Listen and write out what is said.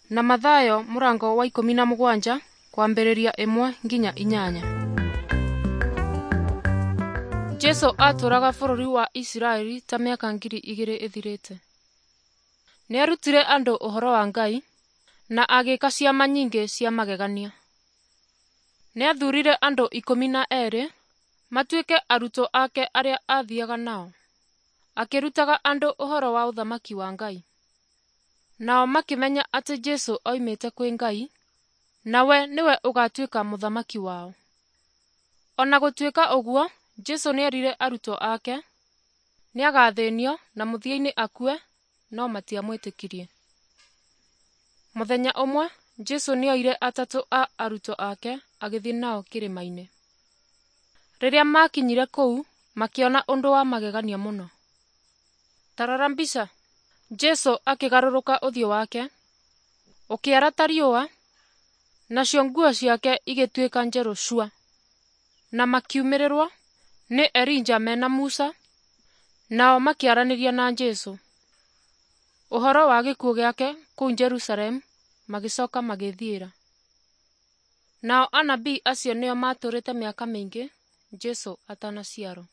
Na Mathayo mũrango wa 17 kwambĩrĩria 1 nginya 8. Jesũ aatũũraga bũrũri wa Isiraeli ta mĩaka 2000 ĩthirĩte. Nĩarutire andũ ũhoro wa Ngai, na agĩĩka ciama nyingĩ cia magegania. Nĩathuurire andũ 12 matuĩke arutwo ake arĩa aathiaga nao, akĩrutaga andũ ũhoro wa ũthamaki wa Ngai. Nao makĩmenya atĩ Jesũ oimĩte kwĩ Ngai, na we nĩwe ũgaatuĩka mũthamaki wao. O na gũtuĩka ũguo, Jesũ nĩerire arutwo ake nĩagathĩnio na mũthia-inĩ akue, no matiamwĩtĩkirie. Mũthenya ũmwe Jesũ nĩoire atatũ a arutwo ake agĩthiĩ nao kĩrĩma-inĩ. Rĩrĩa maakinyire kũu, makĩona ũndũ wa magegania mũno. Ta rora mbica. Jesũ akĩgarũrũka ũthiũ wake, ũkĩara ta riũa, nacio nguo ciake igĩtuĩka njerũ cua. Na makiumĩrĩrwo nĩ Elija mena Musa, nao makĩaranĩria na Jesũ ũhoro wa gĩkuũ gĩake kũu Jerusalemu, magĩcoka magĩĩthiĩra. Nao anabii acio nĩo maatũũrĩte mĩaka mĩingĩ Jesũ atanaciarwo.